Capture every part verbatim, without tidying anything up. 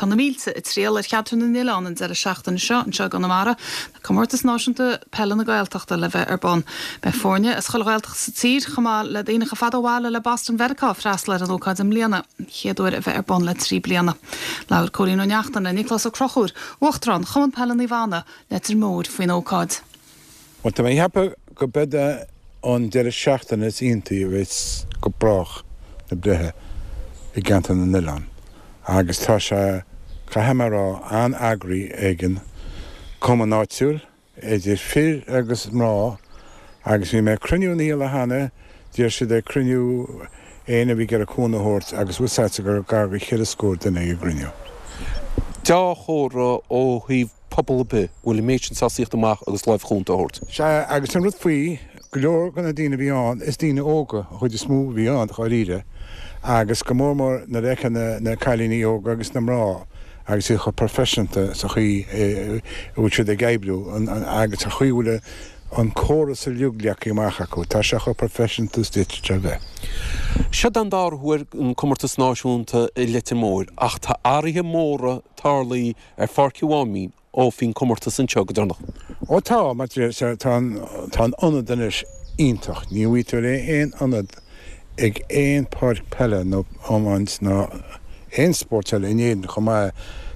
Tá na mílte ag triall ar Cheantar na nOileán an deireadh seachtaine seo anseo i gConamara, Comórtas Náisiúnta Peile na Gaeltachta le bheith ar bun. Beidh foirne as chuile Ghaeltacht sa tír chomh maith le daoine chomh fada ó bhaile le Boston Mheiriceá ag freastal ar an ócáid i mbliana, chéad uair a bheith ar bun le trí bliana. Labhair Cóilín Ó Neachtain le Nioclás Ó Conchúir, Uachtarán Chumann Peile Naomh Anna, Leitir Móir faoin ócáid. Well tá mé ag ceapadh go mbeidh an deireadh seachtaine is iontaí a bheas go brách na breithe i gceantar na nOileán. Agus tá sé caithfidh mé a rá an-eagraithe ag an cumann áitiúil, idir fir agus mná, agus bhí mé ag cruinniú an oíche cheana, d'iarr siad ag cruinniú éinne a bhí ag iarraidh cúnamh a thabhairt agus bhfuil sáite gur gar go cheithre scór duine ag an gcruinniú. Dea-chomhartha ó thaobh pobal ar bith bhfuil an méid sin sásta tíocht amach agus lámh chúnta a thabhairt. Sea, agus an rud faoi, go leor de na daoine a bhí ann, is daoine óga an chuid is mó a bhí ann, dháiríre, agus go mór mór nuair a fheiceann na, na cailíní óga agus na mná agus iad chomh proifisiúnta sa chaoi a bhfuil siad ag oibriú agus sa chaoi a bhfuil an córas uilig leagtha amach acu, tá sé chomh proifisiúnta is d'fhéadfadh sé a bheith. Seo don dara huair an comórtas náisiúnta i Leitir Móir ach tá athruithe móra tarlaithe ar Pháirc an Mháimín ó bhí an comórtas anseo go deireanach. Ó tá, mar tá an tá an ionad anois iontach, ní bhfaighidh tú aon ionad ag aon páirc peile nó iomáint ná aon spórt eile in Éirinn chomh maith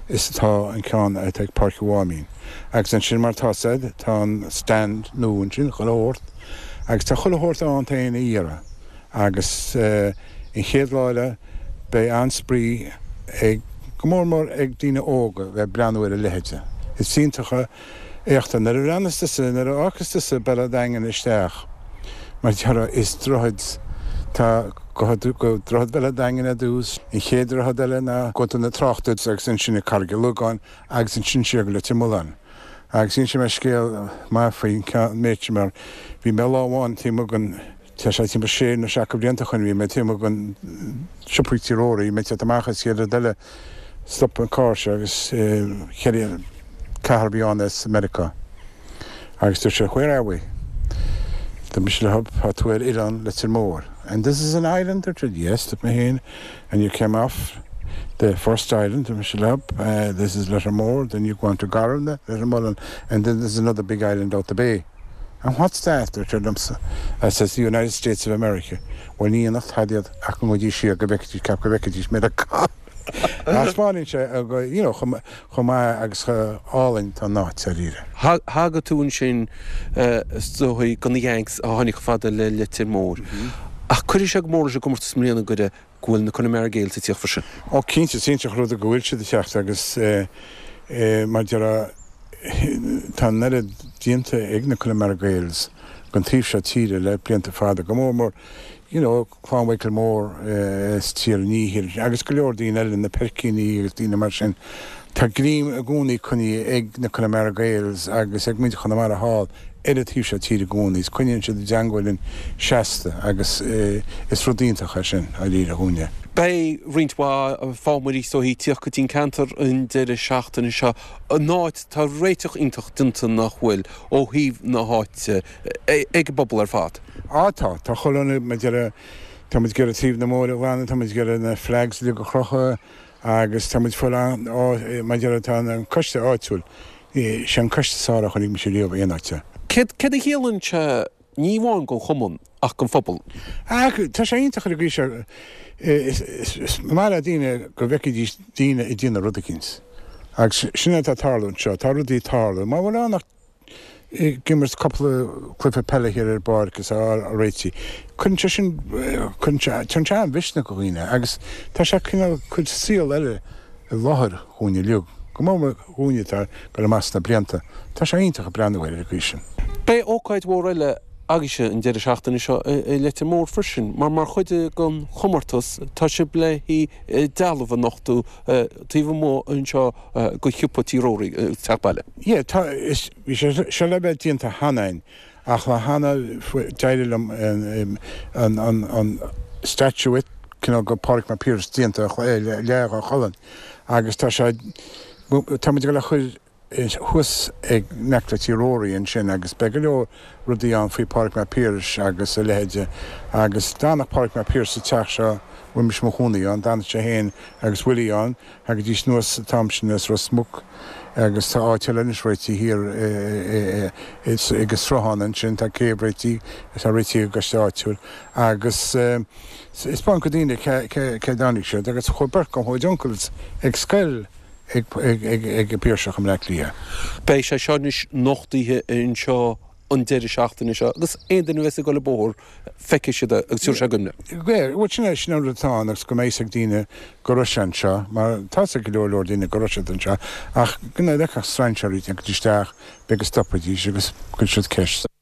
is atá an ceann atá ag Páirc an Mháimín. Agus ansin mar tá said, tá an stand nua ansin chuile shórt, agus tá chuile shórt ann tá éinne a iarraidh. Agus an chéad lá eile beidh an-spraoi ag go mór mór ag daoine óga bheith breathnú ar a leithéide. Is iontach éachta nuair a bhreathnas tusa nuair a fhágas tusa Béal Daingean isteach, mar deara is droichead tá go go droichead Béal Daingean ar dtús, an chéad droichead eile ná go na tráchta agus ansin i Carraig Logáin agus ansin siar go Leitir Mealláin. Agus inseoidh mé scéal maith faoin méid sin mar bhí mé lá amháin taobh amuigh den tá sé timpeall sé nó seacht blianta ó shin bhí mé taobh amuigh den siopa Tí Rory, mé teacht amach is chéad rud eile stop an carr seo agus ceithre ceathrar a bhí ann as Meiriceá. Agus dúirt sé where are we? Tá mise le tá tú ar oileán Leitir Móir. And this is an island? Dúirt siad yes, dúirt mé féin, and you came off the first island, dúirt mise le uh, this is Lettermore, then you go on to Garumna, Lettermullen, and then there's another big island out the bay. And what's that? Dúirt siad liomsa. I says the United States of America. Well ní nach tadiad ach go dtí siar go bhfeicfidís ceap go bhfeicfidís Meiriceá. Taispeánann sé you know, chomh maith agus álainn tá an áit dáiríre. Thagair tú ansin is dóigh do na Yanks a tháinig fada le Leitir Móir. Ach cuirfidh sé go mór leis an gcomórtas i mbliana go go bhfuil na Connemara Gaels ag tíocht freisin. Ó cinnte cinnte rud go bhfuil siad ag teacht agus mar deara tá an oiread déanta ag na Connemara Gaels don taobh seo tíre le blianta fada go mór mór you know, Clann Mhichael Mór is tír níhir agus go leor daoine eile na Peircíní agus daoine mar sin. Tá greim i gcónaí coinnithe ag na Connemara Gaels agus ag muintir Chonamara thall ar an taobh seo tíre i gcónaí, is coinníonn siad a dteanga linn seasta agus is rud iontach é sin dáiríre dhúinne. Beidh roinnt mhaith fámairí so ag tíocht go dtí an ceantar an deireadh seachtaine seo an áit tá réiteach iontach déanta nach bhfuil ó thaobh na háite ag an bpobal ar fad. Á tá tá chuile mar deara tá muid ag iarraidh taobh na móire ghlan tá muid ag iarraidh na flags le go crochadh agus tá muid fuil mar deara tá an coiste áitiúil sé an coiste is fearr a chonaic mise riamh aon áite. Céard céard a chiallaíonn sé ní amháin don chumann ach don phobal. Tá sé iontach ar an seo is maith le daoine go bhfeicfidís daoine ag déanamh rud eicínt. Agus sin atá tarlú anseo, tá rudaí tarlú, má bhfuil ann ach ag imirt cúpla cluiche peile thiar ar bpáirc is á réitigh. Cuireann sé sin cuireann sé tá sé an-mhisneach do dhaoine agus tá sé cineál cuid saol eile i láthair dhúinne uilig. Go mór dhúinne tá go amach sna blianta. Tá sé iontach ag breathnú air ar an gcaoi sin. Beidh ócáid mhór eile agaibhse an deireadh seachtaine seo i Leitir Móir freisin, mar mar chuid den chomórtas tá sibh le dealbh a nochtadh taobh amuigh anseo de shiopa Tí Rory teach baile. Yeah, tá is bhí sé seo le bheith déanta cheana ach le hana d'éirigh liom an an an statuette cineál de Pádraig Mac Piarais déanta le a cholann agus tá sé tá muid le chur thuas ag neach le Tí Rory ansin agus beidh go leor rudaí ann faoi Pádraig Mac Piarais agus a leithéide agus d'fhanadh Pádraig Mac Piarais sa teach seo bhfuil mise mo chónaí ann, d'fhanadh sé féin agus Willie ann, thagaidís anuas an t-am sin as Ros Muc agus tá áit eile anois réitithe thiar ag an sruthán ansin, tá céibh réitithe, atá réitithe ag an gcoiste áitiúil agus is spáin go daoine cé cé dtáinig siad agus chuaigh beirt de mo chuid uncles ag scoil ag ag an Piarsach i mBleá Cliath. Beidh sé seo anois nochtaithe anseo an deireadh seachtaine seo agus aon duine a bheas ag dul an bóthar feicfidh siad é agus tiúrfaidh sé cuimhne. Bhuel sin é, sin an rud atá ann agus go mbeidh fhios ag daoine go raibh sé anseo mar tá fhios ag go leor leor daoine go raibh siad anseo ach go bhfeicfeadh strainséirí ag teacht isteach b'fhéidir go stopfaidís agus cuirfidh siad ceist.